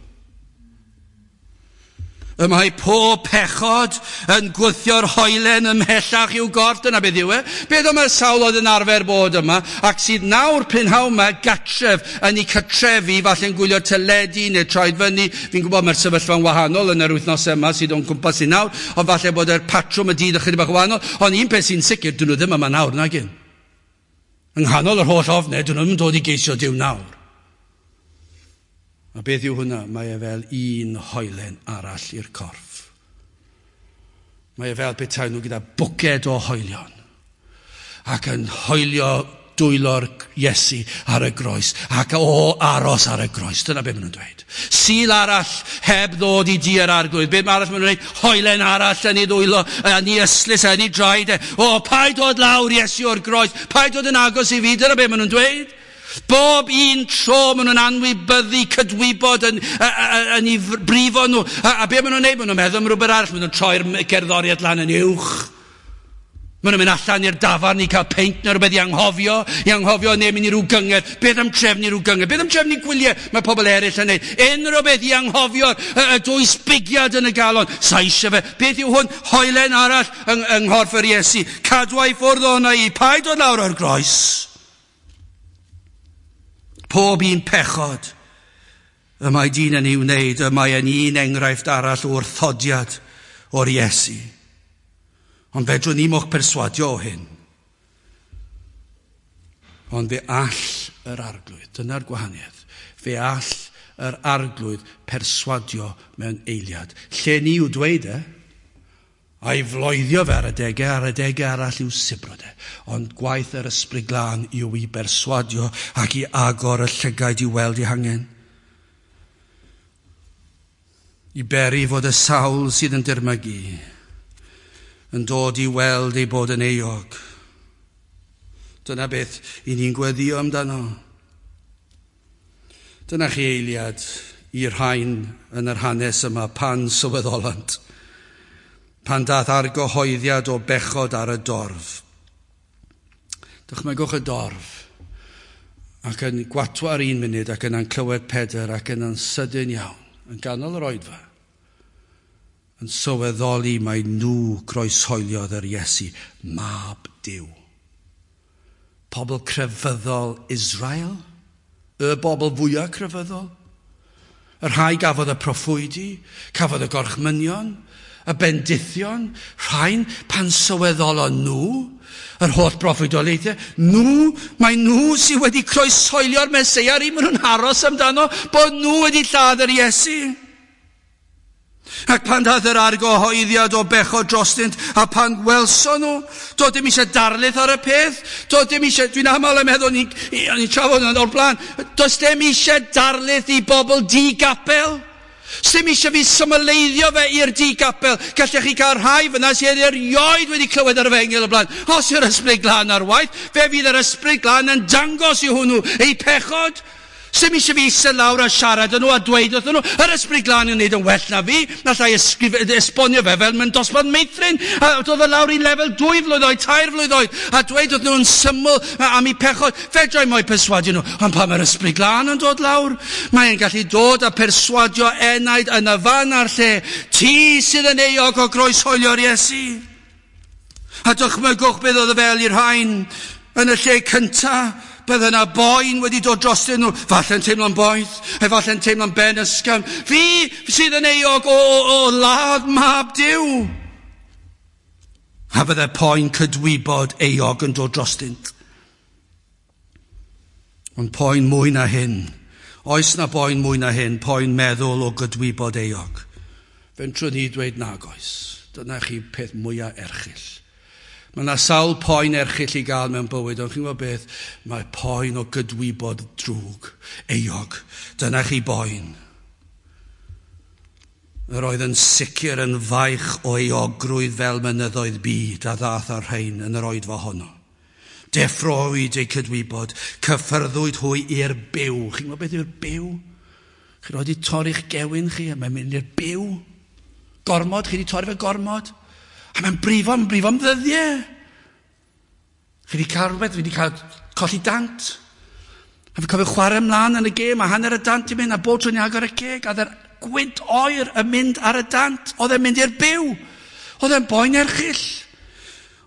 Y mae pob pechod yn gwthio'r hoelen ymhellach i'w gorff. Dyna beth yw e. Beth oedd sawl oedd yn arfer bod yma, ac sydd nawr prynhawn yma gatref yn ei cartrefi, falle'n gwylio teledu neu troed fyny. Fi'n gwybod mae'r sefyllfa'n wahanol yn yr wythnos yma sydd o'n cwmpas i nawr, ond falle bod yr patrwm y dydd ychydig bach wahanol. Ond un peth sy'n sicr, dyn nhw ddim yma nawr, nag un. Yng nghanol yr holl ofnau, dyn nhw ddim yn dod i geisio Duw nawr. A beth yw hwnna? Mae e fel un hoelen arall i'r corff. Mae e fel petai nhw gyda bwced o hoelion ac yn hoelio dwylo'r Iesu ar y groes ac o aros ar y groes. Dyna beth maen nhw'n dweud. Sul arall heb ddod i dŷ yr Arglwydd. Beth arall maen nhw'n dweud? Hoelen arall yn ei ddwylo, yn ei ystlys, yn ei draed. O, paid dod lawr Iesu o'r groes, paid dod yn agos i fi. Dyna beth maen nhw'n dweud. Bob un tro maen nhw'n anwybyddu cydwybod yn, yn, yn ei brifo nhw. A, a be maen nhw'n neud? Maen nhw'n meddwl am rhywbeth arall. Maen nhw'n troi'r gerddoriaeth lan yn uwch. Maen nhw'n mynd allan i'r dafarn i cael peint neu rhywbeth i anghofio, i anghofio neu mynd i ryw gyngerdd. Beth am trefnu rhyw gyngerdd? Beth am trefnu gwyliau mae pobl eraill yn neud? Unrhyw beth i anghofio'r y, y dwysbigiad yn y galon. Sa eisiau fe. Beth yw hwn? Hoelen arall yng, yng nghorff yr Iesu. Cadwa i ffwrdd o'na i. Paid dod lawr o'r groes. Pob un pechod y mae dyn yn ei wneud, y mae yn un enghraifft arall o wrthodiad o'r Iesu. Ond fedrwn ni mo'ch perswadio o hyn. Ond fe all yr Arglwydd, dyna'r gwahaniaeth, fe all yr Arglwydd perswadio mewn eiliad. Lle ni yw dweud e, a'i floeddio fe ar adegau, ar adegau arall i'w sibrwd e. Ond gwaith yr Ysbryd Glân yw i berswadio ac i agor y llygaid i weld ei hangen. I beri fod y sawl sydd yn dirmygu yn dod i weld ei bod yn euog. Dyna beth i ni'n gweddio amdano. Dyna chi eiliad i'r rhain yn yr hanes yma pan sylweddolant, pan dath argyhoeddiad o bechod ar y dorf. Dychmygwch y dorf ac yn gwatwar un munud ac yna'n clywed Pedr ac yna'n sydyn iawn, yn ganol yr oedfa, yn sylweddoli mai nhw groeshoeliodd yr Iesu, mab Duw. Pobl crefyddol Israel, y bobl fwyaf crefyddol, y rhai gafodd y proffwydi, cafodd y gorchmynion, y bendithion, rhain pan sylweddolon nhw, yr holl broffwydoliaethau, nhw, mae nhw sydd wedi croeshoelio'r Meseia, yr un maen nhw'n aros amdano, bod nhw wedi lladd yr Iesu. Ac pan dath yr argyhoeddiad o bechod drostynt, a pan welson nhw, doedd dim eisiau darlith ar y peth, doedd dim eisiau, dwi'n aml yn meddwl, ni'n ni trafod yn o'r blaen, does dim eisiau darlith i bobl di-gapel. Sdim eisiau fi symleiddio fe i'r di-gapel. Gallech chi gael rhai fyna sydd erioed wedi clywed yr efengyl o blaen. Os yw'r Ysbryd Glân ar waith, fe fydd yr Ysbryd Glân yn dangos i hwnnw ei pechod. Sdim eisiau fi eistedd lawr a siarad â nhw a dweud wrthyn nhw, yr Ysbryd Glân yn gwneud yn well na fi, na allai esbonio fe fel mewn dosbarth meithrin, a dod fe lawr i lefel dwy flwydd oed, tair flwydd oed, a dweud wrthyn nhw'n syml am eu pechod. Fedra i mo'u perswadio nhw, ond pan mae'r Ysbryd Glân yn dod lawr, mae'n gallu dod a perswadio enaid yn y fan a'r lle, ti sydd yn euog o groeshoelio'r Iesu. A dychmygwch beth oedd y fel i'r rhain yn y lle cyntaf. Bydde yna boen wedi dod drostyn nhw, falle'n teimlo'n boeth, efallai'n teimlo'n ben ysgafn. Fi sydd yn euog o, o, o ladd mab Duw. A bydde poen cydwybod euog yn dod drostynt. Ond poen mwy na hyn. Oes na boen mwy na hyn, poen meddwl o gydwybod euog. Fentrwn ni dweud nag oes. Dyna chi peth mwyaf erchyll. Mae yna sawl poen erchyll i gael mewn bywyd, ond chi'n gwybod beth? Mae poen o gydwybod drwg, euog. Dyna chi boen. Yr oedd yn sicr yn faich o euogrwydd fel mynyddoedd byd a ddath ar rhain yn yr oedfa honno. Deffrowyd eu cydwybod, cyffyrddwyd hwy i'r byw. Chi'n gwybod beth yw'r byw? Chi wedi torri'ch gewyn chi, a mae'n mynd i'r byw. Gormod, chi wedi torri fe gormod. A mae'n brifo, mae'n brifo am ddyddiau. Chi wedi cael rhywbeth, fi wedi cael colli dant. A fi'n cofio chwarae ymlaen yn y gêm, a hanner y dant i mynd, a bob tro'n i agor y ceg, a dde'r gwynt oer yn mynd ar y dant. Oedd e'n mynd i'r byw. Oedd e'n boen erchyll.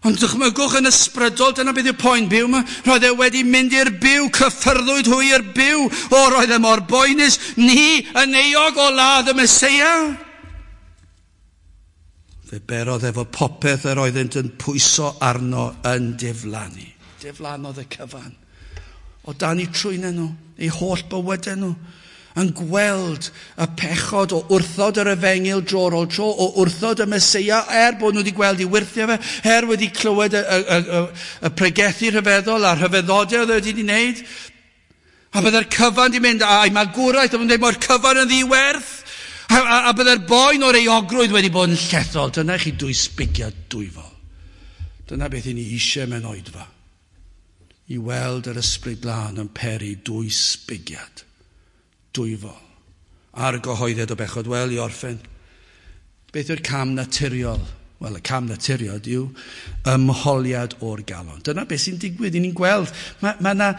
Ond dychmygwch yn ysbrydol, dyna beth yw'r poen byw yma. Roedd e wedi mynd i'r byw, cyffyrddwyd hwy i'r byw. O, roedd e mor boenus, ni yn euog o ladd y Meseia. Fe berodd efo popeth yr oeddynt yn pwyso arno yn diflannu. Diflannodd y cyfan. O dan eu trwynau nhw, eu holl bywydau nhw, yn gweld y pechod o wrthod yr efengyl dro ar ôl tro, o wrthod y Meseia, er bod nhw wedi gweld ei wyrthiau fe, er wedi clywed y, y, y, y, y pregethu rhyfeddol a'r rhyfeddodau oedd wedi wneud. A bydde'r cyfan di mynd, a'i magwraeth, a byddai'n dweud, mae'r cyfan yn ddiwerth. A, a, a bydde'r boen o'r euogrwydd wedi bod yn llethol. Dyna chi dwysbigiad dwyfol. Dyna beth i ni eisiau mewn oedfa. I weld yr Ysbryd Glân yn peri dwysbigiad dwyfol. Argyhoeddiad o bechod. Wel, i orffen, beth yw'r cam naturiol Wel, y cam naturiol yw ymholiad o'r galon. Dyna beth sy'n digwydd, i ni'n gweld. Mae ma 'na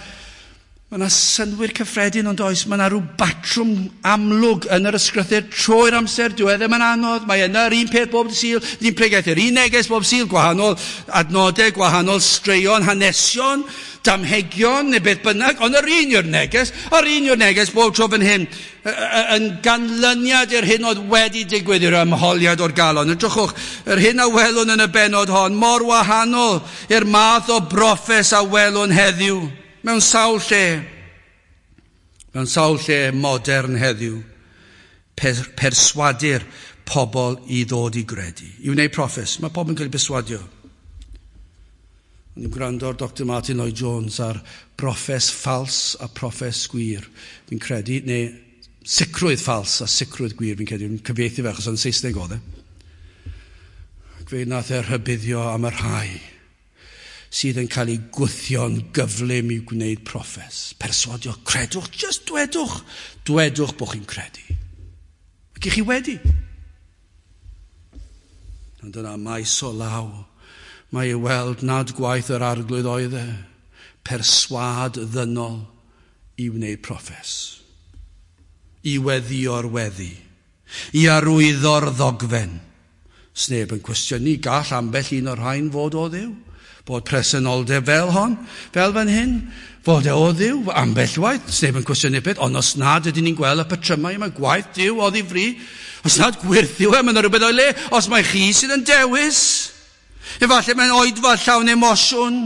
ma 'na synnwyr cyffredin ond oes, mae 'na rhyw batrwm amlwg yn yr ysgrythur trwy'r amser, dyw e ddim yn anodd, mae yna yr un peth bob Sul, ni'n pregethu'r un neges bob Sul, gwahanol adnodau, gwahanol straeon, hanesion, damhegion neu beth bynnag, ond yr un yw'r neges, yr un yw'r neges bob tro fan hyn, yn ganlyniad i'r hyn oedd wedi digwydd i'r ymholiad o'r galon. Edrychwch, yr hyn a welwn yn y bennod hon, mor wahanol i'r math o broffes a welwn heddiw, mewn sawl lle, mewn sawl lle modern heddiw, perswadir pobl i ddod i gredu, i wneud proffes. Mae pobl yn cael ei perswadio. O'n i'n gwrando ar Doctor Martin Lloyd Jones ar broffes ffals a proffes gwir, fi'n credu, neu sicrwydd ffals a sicrwydd gwir, fi'n credu, fi'n cyfieithu fe achos yn Saesneg oedd e. Ac fe nath e rhybuddio am y rhai sydd yn cael ei gwthio'n gyflym i gwneud proffes. Perswadio, credwch, just dwedwch, dwedwch bod chi'n credu. Ac i chi wedi. Ond yna maes o law, mae i weld nad gwaith yr arglwydd oedd e, perswâd ddynol i wneud proffes, i weddïo'r weddi, i arwyddo'r ddogfen. Sneb yn cwestiynu, gall ambell un o'r rhain fod o Dduw, bod presenoldeb fel hon, fel fan hyn, fod e o Dduw, ambell waith, sneb yn cwestiynu beth, ond os nad ydyn ni'n gweld y patrymau yma, gwaith Duw oddi fri, os nad gwyrth yw e, mae yna rhywbeth o'i le, os mae chi sydd yn dewis, efallai mae'n oedfa llawn emosiwn,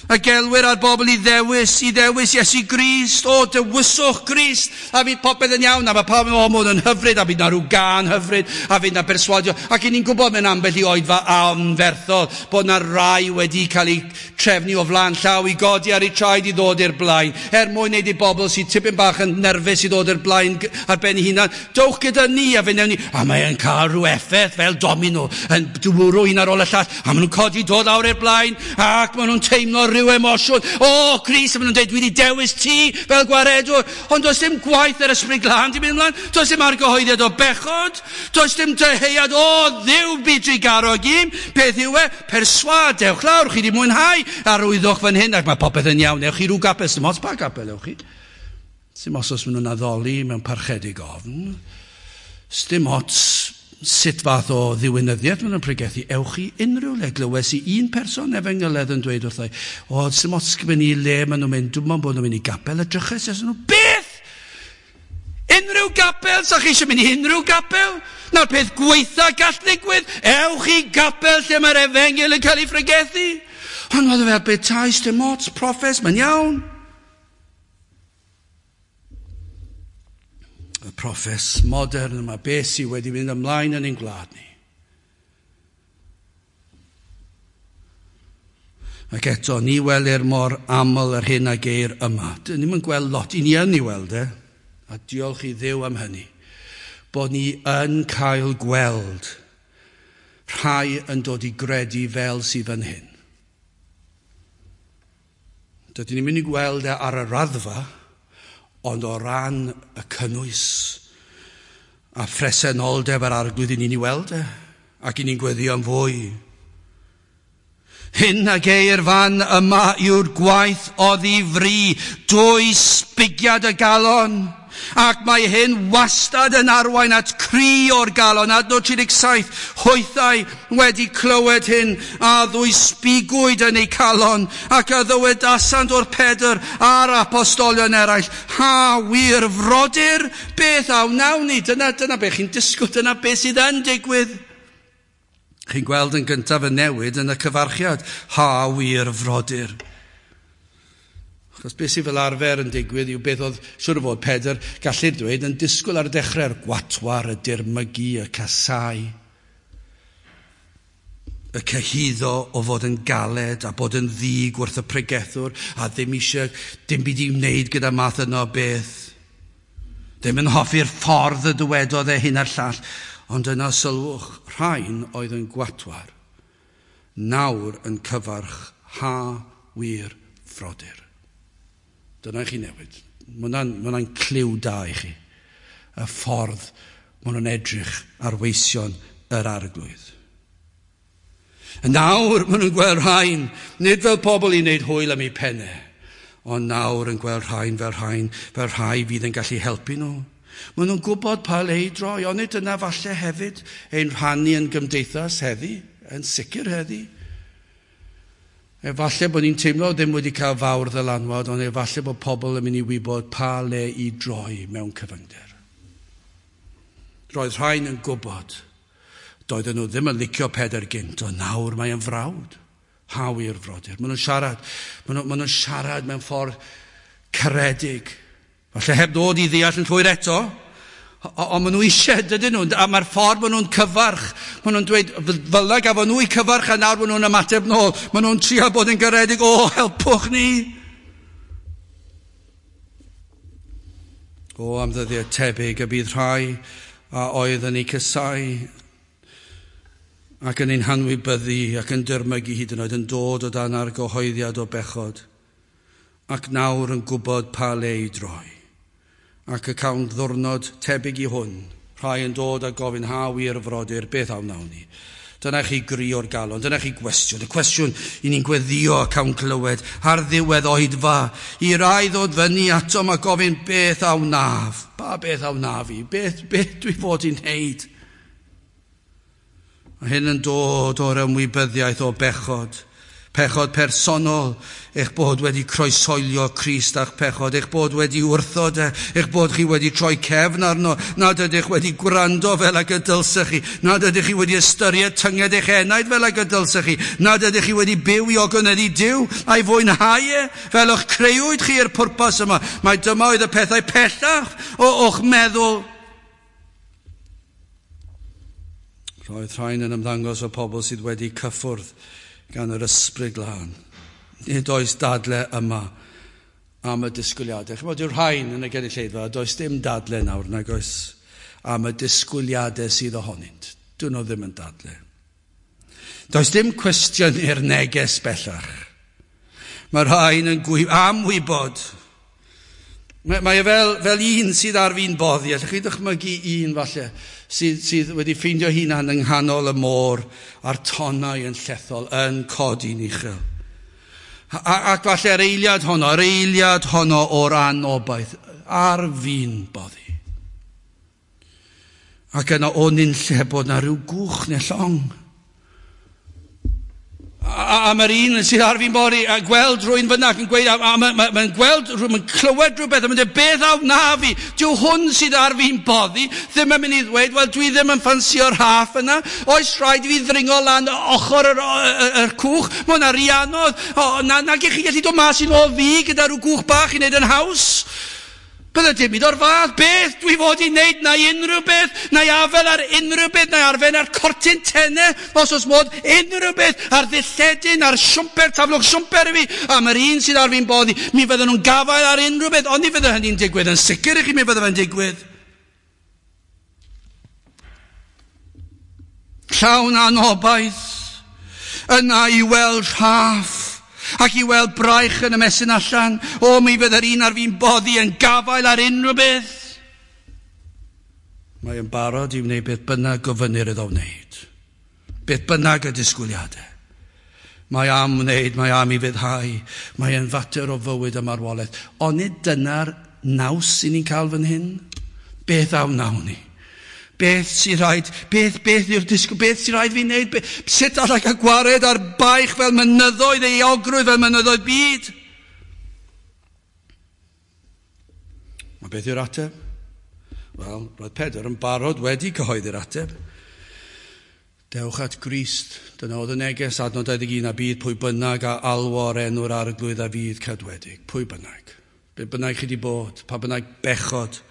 a gelwir ar bobl i ddewis, i ddewis Iesu Grist, o, dewiswch Grist, a fydd popeth yn iawn, a mae pawb yn o, yn hyfryd, a fydd na rhyw gân hyfryd, a fydd na perswadio, ac i ni'n gwybod mewn ambell i oedfa anferthol, bod na rai wedi cael eu trefnu o flaen llaw i godi ar eu traed i ddod i'r blaen, er mwyn wneud i bobl sydd tipyn bach yn nerfus i ddod i'r blaen ar ben eu hunan, dowch gyda ni, a fe wnewn ni, a mae'n cael rhyw effaith fel domino, yn dwrw un ar ôl y llall, a maen nhw'n codi dod lawr i'r blaen, ac maen nhw'n teimlo rhyw emosiwn. O, Crist, a maen nhw'n dweud, dwi wedi dewis ti fel gwaredwr. Ond does dim gwaith yr Ysbryd Glân di mynd ymlaen. Does dim argyhoeddiad o bechod. Does dim dyheuad, o, Dduw bu drugarog im. Beth yw e? Perswâd, dewch lawr, chi wedi mwynhau. Arwyddwch fan hyn, ac mae popeth yn iawn. Ewch i rhyw gapel, dim ots pa gapel ewch chi. Dim os oes maen nhw'n addoli mewn parchedig ofn. Dim ots sut fath o ddiwinyddiaeth maen nhw'n pregethu. Ewch i unrhyw le. Glywes i un person efengyledd yn dweud wrthai, o, dim ots gen i le maen nhw'n mynd, dwi'n meddwl bod nhw'n mynd i gapel, a drychais nhw, beth? Unrhyw gapel? Sa chi eisiau mynd i unrhyw gapel? Na'r peth gweitha gall ddigwydd. Ewch i gapel lle mae'r efengyl yn cael ei phregethu. Ond oedd e fel petai, dim ots, proffes, mae'n iawn. Y proffes modern yma, beth sydd wedi mynd ymlaen yn ein gwlad ni. Ac eto, ni welir mor aml yr hyn a geir yma. Dyn ni'm yn gweld lot, i ni yn ei weld e, a diolch i Dduw am hynny, bod ni yn cael gweld rhai yn dod i gredu fel sydd fan hyn. Dydyn ni'n mynd i gweld e ar y raddfa, ond o ran y cynnwys a phresenoldeb yr arglwydd i ni'n ei weld e, ac i ni'n gweddio am fwy. Hyn a geir fan yma yw'r gwaith oddi fri, dwy sbigiad y galon, ac mae hyn wastad yn arwain at cri o'r galon. Adnod tri deg saith, hwythau wedi clywed hyn, a ddwy sbigwyd yn eu calon, ac a ddywedasant o'r Pedr a'r apostolion eraill, ha wir frodyr, beth a wnawn ni? Dyna, dyna beth chi'n disgwyl, dyna beth sydd yn digwydd. Chi'n gweld yn gyntaf y newid yn y cyfarchiad, ha wir frodyr. Achos beth sydd fel arfer yn digwydd yw beth oedd, siŵr o fod Pedr, gallu'r dweud, yn disgwyl ar y dechrau'r gwatwar, y dirmygu, y casau, y cyhuddo o fod yn galed a bod yn ddig wrth y pregethwr a ddim eisiau dim byd i wneud gyda math yno beth. Ddim yn hoffi'r ffordd y dywedodd e hyn a'r llall, ond yna sylwch, rhain oedd yn gwatwar, nawr yn cyfarch ha wir frodyr. Dyna i chi newid. Mae hwnna'n cliw da i chi. Y ffordd maen nhw'n edrych ar weision yr arglwydd. Nawr maen nhw'n gweld rhain, nid fel pobl i wneud hwyl am eu pennau, ond nawr yn gweld rhain fel rhain, fel rhai fydd yn gallu helpu nhw. Maen nhw'n gwybod pa le i droi, ond nid dyna falle hefyd ein rhannu yn gymdeithas heddi, yn sicr heddi. Efallai bod ni'n teimlo ddim wedi cael fawr ddylanwad, ond efallai bod pobl yn mynd i wybod pa le i droi mewn cyfyngder. Roedd rhain yn gwybod. Doedden nhw ddim yn licio Pedr gynt, ond nawr mae yn frawd. Haw i'r frodyr. Maen nhw'n siarad, maen nhw, maen nhw'n siarad mewn ffordd caredig. Falle heb ddod i ddeall yn llwyr eto, ond maen nhw eisiau, dydyn nhw, a mae'r ffordd maen nhw'n cyfarch, maen nhw'n dweud, fel na gafon nhw i cyfarch a nawr maen nhw'n ymateb nôl, maen nhw'n trio bod yn garedig, o, helpwch ni. O, am ddyddiau tebyg y bydd rhai a oedd yn eu casáu ac yn ein hanwybyddu ac yn dyrmygu hyd yn oed yn dod o dan argyhoeddiad o bechod ac nawr yn gwybod pa le i droi. Ac y cawn ddwrnod tebyg i hwn, rhai yn dod a gofyn ha wir frodyr, beth a wnawn ni? Dyna chi gri o'r galon, dyna chi gwestiwn, y cwestiwn i ni'n gweddio a cawn clywed ar ddiwedd oedfa, i rai ddod fyny atom a gofyn beth a wnaf, pa beth a wnaf i, beth, beth dwi fod i'n wneud? A hyn yn dod o'r ymwybyddiaeth o bechod, pechod personol, eich bod wedi croeshoelio Crist a'ch pechod, eich bod wedi wrthod e, eich bod chi wedi troi cefn arno, nad ydych wedi gwrando fel ag y dylsech chi, nad ydych chi wedi ystyried tynged eich enaid fel ag y dylsech chi, nad ydych chi wedi byw i ogoneddu Duw a'i fwynhau e, fel o'ch creuwyd chi i'r pwrpas yma. Mae dyma oedd y pethau pellach o o'ch meddwl. Roedd rhain yn ymddangos o pobl sydd wedi cyffwrdd gan yr ysbryd glân. Nid oes dadle yma am y disgwyliadau. Chymod, yw'r rhain yn y gynulleidfa, does dim dadle nawr nag oes am y disgwyliadau sydd ohonynt. Dyn nhw ddim yn dadle. Does dim cwestiwn i'r neges bellach. Mae'r rhain yn gwy- am wybod. Mae, mae e fel, fel un sydd ar fin boddi. Allwch chi ddychmygu un falle sydd, sydd wedi ffeindio hunan yng nghanol y môr a'r tonnau yn llethol, yn codi'n uchel. A, ac falle yr eiliad honno, yr eiliad honno o'r anobaith, ar fin boddi. Ac yna o nunlle bod na rhyw gwch neu llong. A, a mae'r un sydd ar fi'n boddi a gweld rhywun fyna ac yn gweud, a, a mae'n ma, ma gweld, mae'n clywed rhywbeth, a mae'n dweud, beth a wna fi? Dyw hwn sydd ar fi'n boddi ddim yn mynd i ddweud, wel dwi ddim yn ffansio'r rhaff yna, oes rhaid i fi ddringo lan ochr yr, yr, yr cwch, mae hwnna rhy anodd, o, na, nag i chi gallu dod mas i nôl fi gyda rhyw gwch bach i wneud yn haws. Bydde dim byd o'r fath, beth dwi fod i wneud, na i unrhyw beth, na i afel ar unrhyw beth, na i arfen ar cortyn tenne, os oes modd, unrhyw beth, ar ddilledyn, ar siwmper, taflwch siwmper i fi, a mae'r un sydd ar fi'n boddi, mi fydden nhw'n gafael ar unrhyw beth, ond ni fydde hynny'n digwydd, yn sicr i chi mi fydde fe'n digwydd. Llawn anobaith, yna i weld rhaff, ac i weld braich yn ymestyn allan, o mi fydd yr un ar fi'n boddi yn gafael ar unrhyw beth. Mae yn barod i wneud beth bynnag gofynnir iddo wneud. Beth bynnag y disgwyliadau. Mae am wneud, mae am i fyddhau, mae yn fater o fywyd a marwolaeth. Ond nid dyna'r naws i ni'n cael fan hyn? Beth a wnawn ni? Beth sy'n rhaid, beth, beth yw'r disgwyl, beth sy'n rhaid fi wneud, beth, sut allai cael gwared ar baich fel mynyddoedd, euogrwydd fel mynyddoedd byd? Mae beth yw'r ateb? Wel, roedd Pedr yn barod wedi cyhoeddi'r ateb. Dewch at Grist, dyna oedd y neges, adnod dau ddeg un, a bydd pwy bynnag a alwo o'r enw'r arglwydd a fydd cadwedig. Pwy bynnag? Be bynnag chi wedi bod, pa bynnag bechod,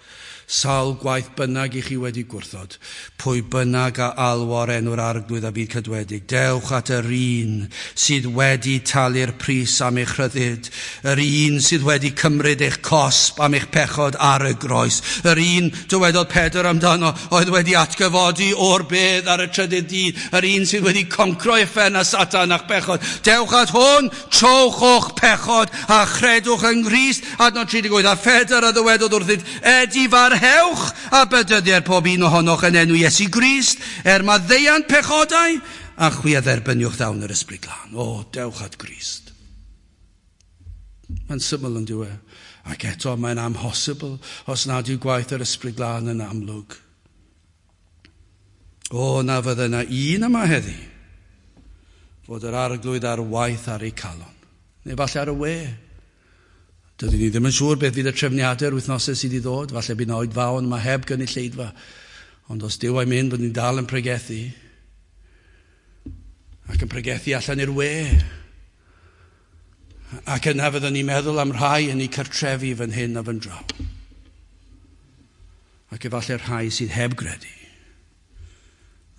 sawl gwaith bynnag i chi wedi gwrthod, pwy bynnag a alwo o'r enw'r arglwydd a fydd cadwedig. Dewch at yr un sydd wedi talu'r pris am eich rhyddid, yr un sydd wedi cymryd eich cosb am eich pechod ar y groes, yr un, dywedodd Pedr amdano, oedd wedi atgyfodi o'r bedd ar y trydydd dydd, yr un sydd wedi concro uffern a Satan a'ch pechod. Dewch at hwn, trowch o'ch pechod a chredwch yng Nghrist. Adnod tri deg wyth, a Phedr a ddywedodd wrthynt, edifar hewch a bedyddier pob un ohonoch yn enw Iesu Grist, er maddeuant pechodau, a chwi a dderbyniwch ddawn yr Ysbryd Glân. O, dewch at Grist. Mae'n syml yn dyw e. Ac eto mae'n amhosibl os nad yw gwaith yr Ysbryd Glân yn amlwg. O, na fydde yna un yma heddi fod yr Arglwydd ar waith ar ei calon. Neu falle ar y we. Dydyn ni ddim yn siŵr beth fydd y trefniadau'r wythnosau sydd i ddod. Falle bydd yna oedfaon yma heb gynulleidfa. Ond os Duw a'i mynd, byddwn ni'n dal yn pregethu. Ac yn pregethu allan i'r we. Ac yna fyddwn ni'n meddwl am rhai yn eu cartrefi fan hyn a fan draw. Ac efallai rhai sydd heb gredu.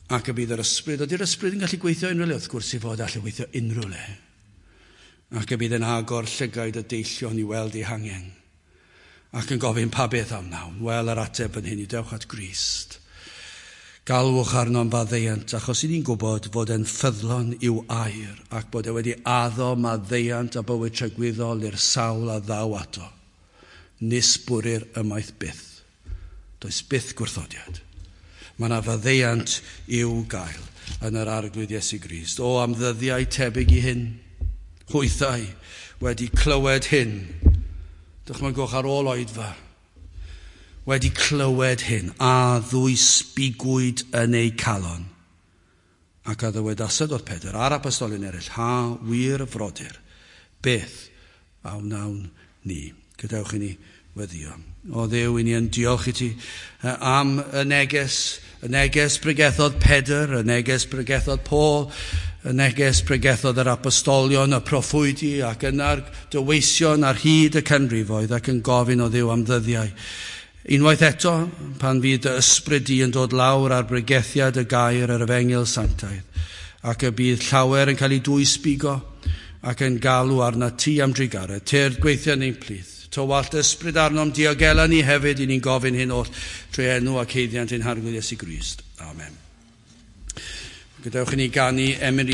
Ac y bydd yr ysbryd, ydy'r ysbryd yn gallu gweithio unrhyw le? Wrth gwrs i fod allu gweithio unrhyw le. Ac y bydd yn agor llygaid y deillion i weld eu hangen. Ac yn gofyn pa beth am wnawn. Wel, yr ateb yn hyn i dewch at Grist. Galwch arno'n faddeuant, achos i ni'n gwybod fod e'n ffyddlon i'w air ac bod e wedi addo maddeuant a bywyd tragwyddol i'r sawl a ddaw ato. Nis bwrir ymaith byth. Does byth gwrthodiad. Mae yna faddeuant i'w gael yn yr Arglwydd Iesu Grist. O, am ddyddiau tebyg i hyn, hwythau wedi clywed hyn. Dychmygwch ar ôl oedfa. Wedi clywed hyn, a ddwysbigwyd yn eu calon. Ac a ddywedasant wrth Pedr a'r apostolion eraill, ha wir frodyr, beth a wnawn ni? Gadewch i ni weddio. O Dduw, i ni yn diolch i ti am y neges, y neges pregethodd Pedr, y neges pregethodd Paul, y neges pregethodd yr apostolion, y proffwydi ac yna'r dyweision ar hyd y canrifoedd ac yn gofyn o Dduw am ddyddiau. Unwaith eto, pan fydd dy ysbryd di yn dod lawr ar bregethiad y gair yr efengyl sanctaidd, ac y bydd llawer yn cael ei dwysbigo ac yn galw arna ti am drugaredd, tyrd gweithio yn ein plith. Tywallt ysbryd arnom diogela ni hefyd, i ni'n gofyn hyn oll trwy enw ac haeddiant ein Harglwydd Iesu Grist. Amen. Gadewch i ni ganu emyn